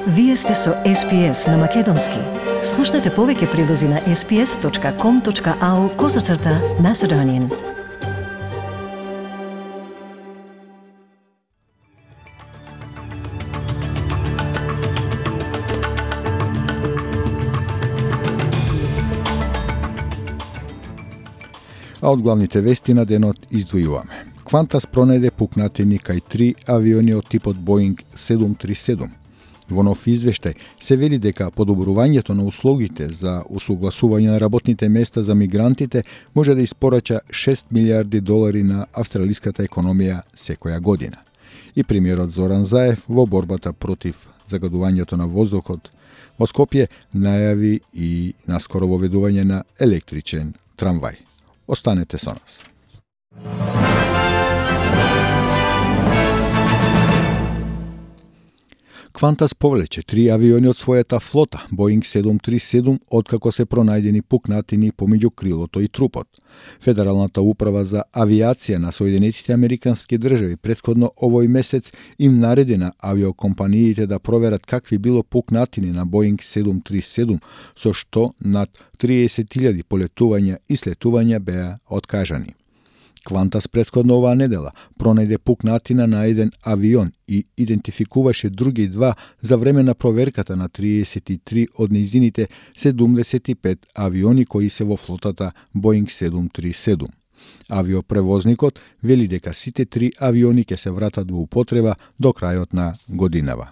Вие сте со SPS на Македонски. Слушнете повеќе прилози на sps.com.au/Macedonian. А од главните вести на денот издвојуваме. Qantas пронајде пукнатини кај 3 авиони од типот Boeing 737. Во нов извештај се вели дека подобрувањето на услугите за усогласување на работните места за мигрантите може да испорача $6 милиарди на австралиската економија секоја година. И премиерот Зоран Заев во борбата против загадувањето на воздухот во Скопје најави и наскоро воведување на електричен трамвај. Останете со нас. Qantas повлече 3 авиони од својата флота, Boeing 737, откако се пронајдени пукнатини помеѓу крилото и трупот. Федералната управа за авиација на Соединетите Американски држави претходно овој месец им нареди на авиокомпаниите да проверат какви било пукнатини на Boeing 737, со што над 30.000 полетувања и слетувања беа откажани. Qantas претходно оваа недела пронајде пукнатина на еден авион и идентификуваше други два за време на проверката на 33 од нејзините 75 авиони кои се во флотата Boeing 737. Авиопревозникот вели дека сите 3 авиони ќе се вратат во употреба до крајот на годинава.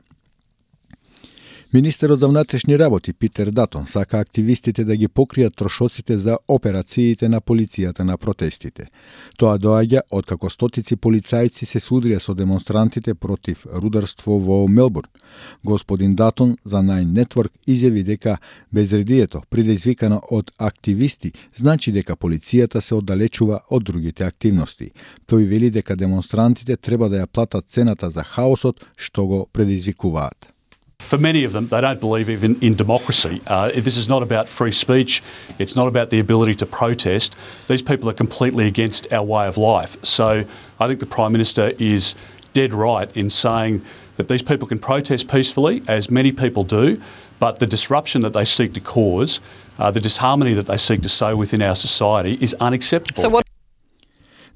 Министерот за внатрешни работи Питер Датон сака активистите да ги покријат трошоците за операциите на полицијата на протестите. Тоа доаѓа откако стотици полицајци се судрија со демонстрантите против рударство во Мелбурн. Господин Датон за Nine Network изјави дека безредието предизвикано од активисти значи дека полицијата се оддалечува од другите активности. Тој вели дека демонстрантите треба да ја платат цената за хаосот што го предизвикуваат. For many of them, they don't believe even in democracy. This is not about free speech. It's not about the ability to protest. These people are completely against our way of life. So I think the Prime Minister is dead right in saying that these people can protest peacefully, as many people do, but the disruption that they seek to cause, the disharmony that they seek to sow within our society is unacceptable. So what...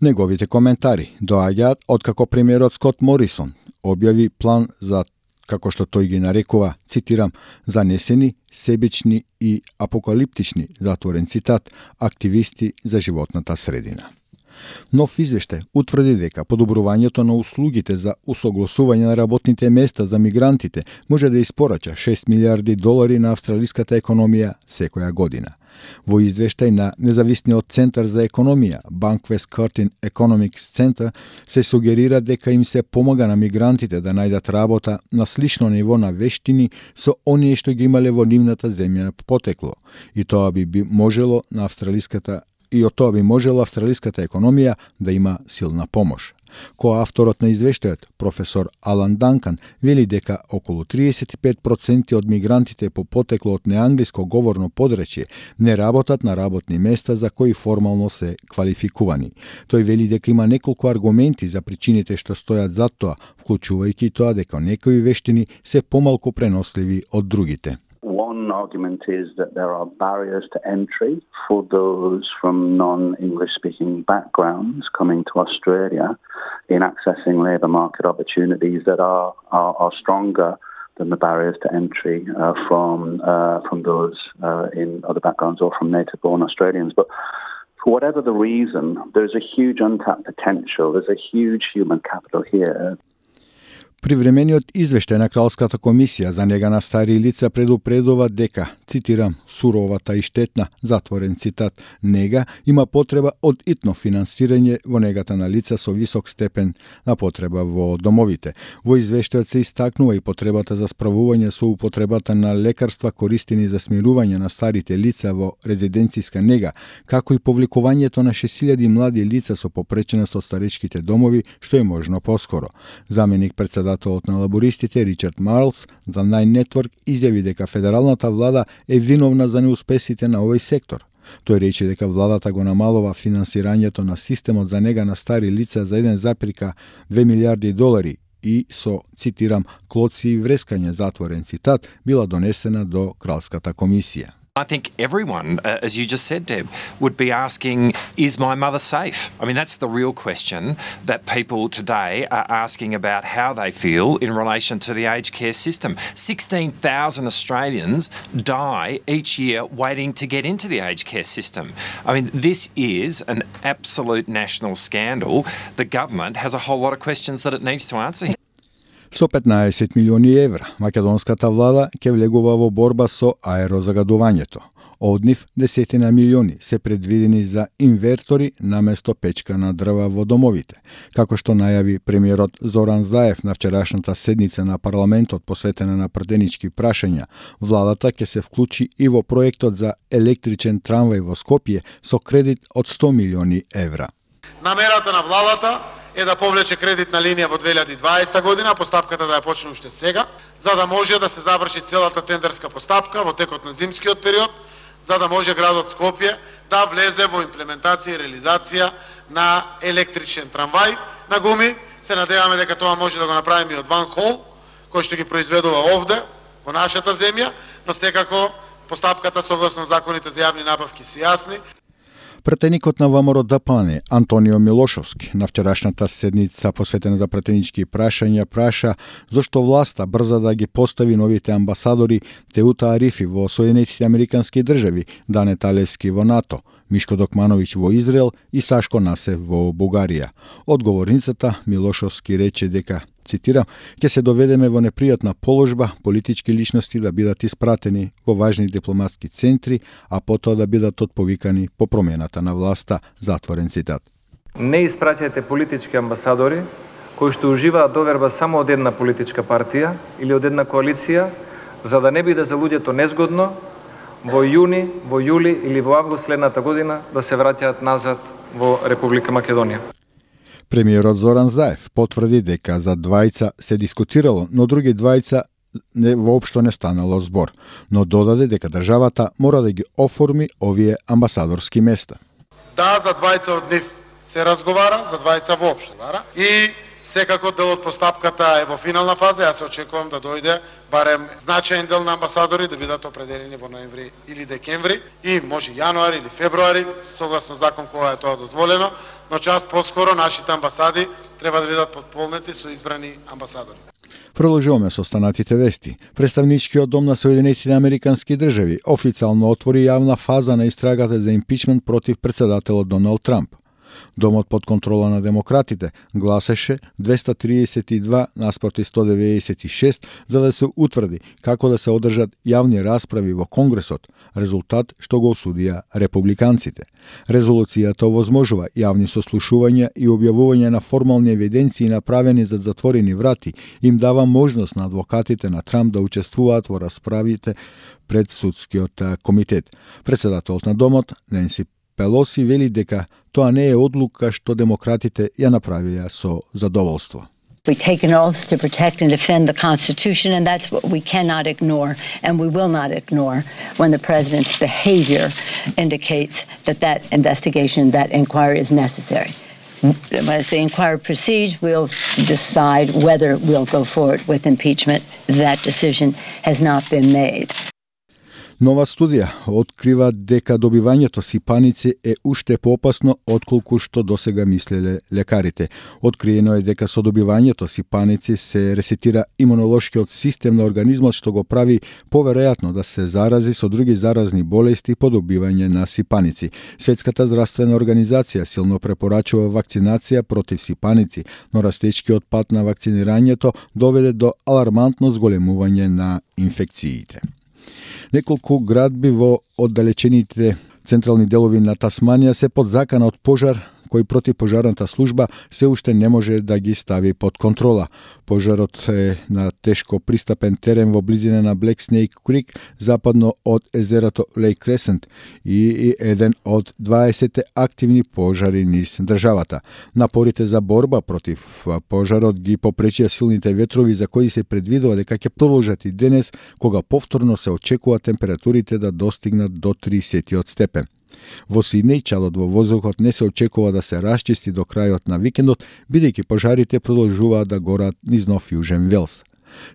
Неговите коментари доаѓаат откако премиерот Скот Морисон објави план за, како што тој ги нарекува, цитирам, занесени, себични и апокалиптични, затворен цитат, активисти за животната средина. Нов извештај утврди дека подобрувањето на услугите за усогласување на работните места за мигрантите може да испорача $6 милиарди на австралиската економија секоја година. Во извештај на независниот центар за економија, Bankwest Curtin Economics Center, се сугерира дека им се помага на мигрантите да најдат работа на слично ниво на вештини со оние што ги имале во нивната земја потекло. И тоа би можело на австралиската економија да има силна помош. Коавторот на извештајот, професор Алан Данкан, вели дека околу 35% од мигрантите по потекло од неанглиско говорно подречје не работат на работни места за кои формално се квалификувани. Тој вели дека има неколку аргументи за причините што стојат за тоа, вклучувајќи тоа дека некои вештини се помалку преносливи од другите. One argument is that there are barriers to entry for those from non-English speaking backgrounds coming to Australia in accessing labour market opportunities that are stronger than the barriers to entry from those in other backgrounds or from native-born Australians. But for whatever the reason, there's a huge untapped potential. There's a huge human capital here. Привремениот извештај на Кралската комисија за нега на стари лица предупредува дека, цитирам, суровата и штетна, затворен цитат, нега има потреба од итно финансирање во негата на лица со висок степен на потреба во домовите. Во извештајот се истакнува и потребата за справување со употребата на лекарства користени за смирување на старите лица во резиденцијска нега, како и повлекувањето на 6.000 млади лица со попреченост од старечките домови, што е можно поскоро. Заменик председател на лабористите Ричард Марлс за Nine Network изјави дека федералната влада е виновна за неуспесите на овој сектор. Тој рече дека владата го намалува финансирањето на системот за нега на стари лица за $1,2 милиарди и со, цитирам, клоци и врескање, затворен цитат, била донесена до Кралската комисија. I think everyone, as you just said, Deb, would be asking, is my mother safe? I mean, that's the real question that people today are asking about how they feel in relation to the aged care system. 16,000 Australians die each year waiting to get into the aged care system. I mean, this is an absolute national scandal. The government has a whole lot of questions that it needs to answer. Со 15 милиони евра, македонската влада ќе влегува во борба со аерозагадувањето. Од нив 10 милиони се предвидени за инвертори наместо печка на дрва во домовите. Како што најави премиерот Зоран Заев на вчерашната седница на парламентот посветена на пратенички прашања, владата ќе се вклучи и во проектот за електричен трамвај во Скопје со кредит од 100 милиони евра. Намерата на владата е да повлече кредитна линија во 2020 година, постапката да ја почне уште сега, за да може да се заврши целата тендерска постапка во текот на зимскиот период, за да може градот Скопје да влезе во имплементација и реализација на електричен трамвај на гуми. Се надеваме дека тоа може да го направиме и од Ван Хол, кој што ги произведува овде, во нашата земја, но секако постапката согласно законите за јавни набавки се јасни. Пратеникот на ВМРО ДПМНЕ Антонио Милошовски на вчерашната седница посветена за пратенички прашања праша зошто власта брза да ги постави новите амбасадори Теута Арифи во Соединетите Американски држави, Дане Талевски во НАТО, Мишко Докмановиќ во Израел и Сашко Насев во Бугарија. Одговорницата Милошовски рече дека, цитирам, ќе се доведеме во непријатна положба политички личности да бидат испратени во важни дипломатски центри, а потоа да бидат отповикани по промената на власта, затворен цитат. Не испраќајте политички амбасадори кои што уживаат доверба само од една политичка партија или од една коалиција, за да не биде за луѓето незгодно во јуни, во јули или во август следната година да се враќаат назад во Република Македонија. Премиерот Зоран Заев потврди дека за двајца се дискутирало, но други двајца воопшто не станало збор, но додаде дека државата мора да ги оформи овие амбасадорски места. Да, за двајца од нив се разговара, за двајца воопшто и секако дел од постапката е во финална фаза. Јас се очекувам да дојде барем значаен дел на амбасадори да бидат определени во ноември или декември и може јануари или февруари, согласно закон кога е тоа дозволено, но час поскоро нашите амбасади треба да бидат потполнети со избрани амбасадори. Продолжуваме со останатите вести. Представничкиот дом на Соединетите Американски држави официјално отвори јавна фаза на истрагата за импичмент против претседателот Доналд Трамп. Домот под контрола на демократите гласеше 232 наспроти 196 за да се утврди како да се одржат јавни расправи во Конгресот, резултат што го осудија републиканците. Резолуцијата овозможува јавни сослушувања и објавување на формални евиденции направени за затворени врати, им дава можност на адвокатите на Трамп да учествуваат во расправите пред судскиот комитет. Претседателот на домот, Ненси Пелоси, вели дека тоа не е одлука што демократите ја направија со задоволство. We take an oath to protect and defend the Constitution, and that's what we cannot ignore, and we will not ignore when the President's behavior indicates that that investigation, that inquiry is necessary. As the inquiry proceeds, we'll decide whether we'll go forward with impeachment. That decision has not been made. Нова студија открива дека добивањето сипаници е уште поопасно отколку што досега мислеле лекарите. Откриено е дека со добивањето сипаници се ресетира имунолошкиот систем на организмот, што го прави поверојатно да се зарази со други заразни болести по добивање на сипаници. Светската здравствена организација силно препорачува вакцинација против сипаници, но растечкиот пат на вакцинирањето доведе до алармантно зголемување на инфекциите. Неколку градби во оддалечените централни делови на Тасманија се под закана од пожар кој противпожарната служба се уште не може да ги стави под контрола. Пожарот е на тешко пристапен терен во близина на Black Snake Creek, западно од езерото Lake Crescent и еден од 20 активни пожари низ државата. Напорите за борба против пожарот ги попречија силните ветрови за кои се предвидува дека ќе продолжат и денес, кога повторно се очекува температурите да достигнат до 30 степен. Во Сиднеј чадот во воздухот не се очекува да се расчисти до крајот на викендот, бидејќи пожарите продолжуваат да горат низ Нов Јужен Велс.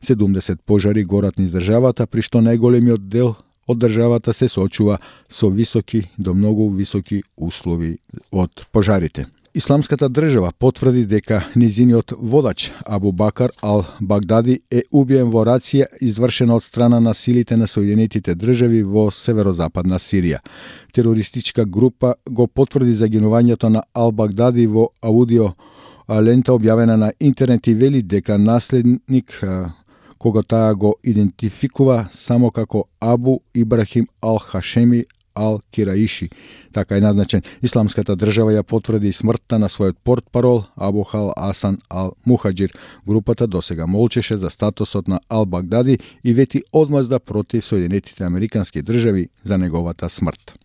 70 пожари горат низ државата, при што најголемиот дел од државата се соочува со високи до многу високи услови од пожарите. Исламската држава потврди дека низиниот водач Абу Бакар ал-Багдади е убиен во рација извршена од страна на силите на Соединетите држави во северозападна Сирија. Терористичка група го потврди загинувањето на ал-Багдади во аудио лента објавена на интернет и вели дека наследник кога таа го идентификува само како Абу Ибрахим ал-Хашеми ал-Кираиши, така е назначен. Исламската држава ја потврди и смртта на својот портпарол Абу Хал Асан ал-Мухаџир. Групата досега молчеше за статусот на ал-Багдади и вети одмазда против Соединетите Американски држави за неговата смрт.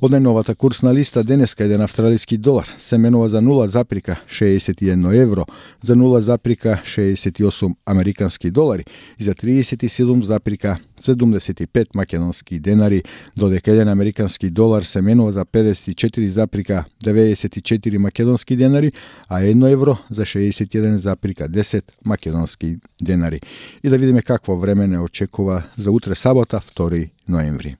Од најновата курсна листа денеска еден австралиски долар се менува за 0,61 евро, за 0,68 американски долари и за 37,75 македонски денари, додека еден американски долар се менува за 54,94 македонски денари, а 1 евро за 61,10 македонски денари. И да видиме какво време не очекува за утре сабота, 2 ноември.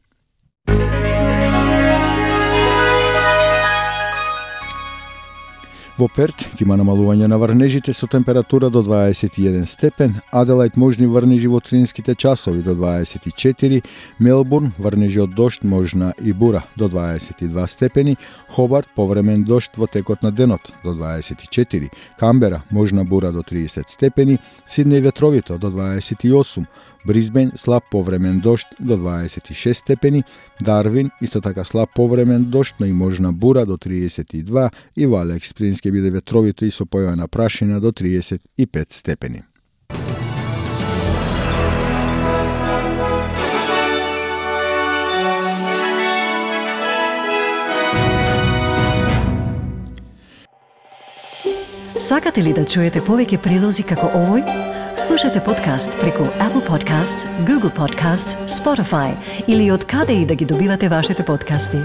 Во Перт ќе има намалување на врнежите со температура до 21 степен, Аделајд можни врнежи во утринските часови до 24, Мелбурн врнежи од дожд можна и бура до 22 степени, Хобарт повремен дожд во текот на денот до 24, Камбера можна бура до 30 степени, Сиднеј ветровито до 28, Брисбен слаб повремен дожд до 26 степени, Дарвин исто така слаб повремен дожд, но и можна бура до 32 и во Алекс Спрингс ќе биде ветровито и со појавена прашина до 35 степени. Сакате ли да чуете повеќе прилози како овој? Слушате подкаст преку Apple Podcasts, Google Podcasts, Spotify или од каде и да ги добивате вашите подкасти.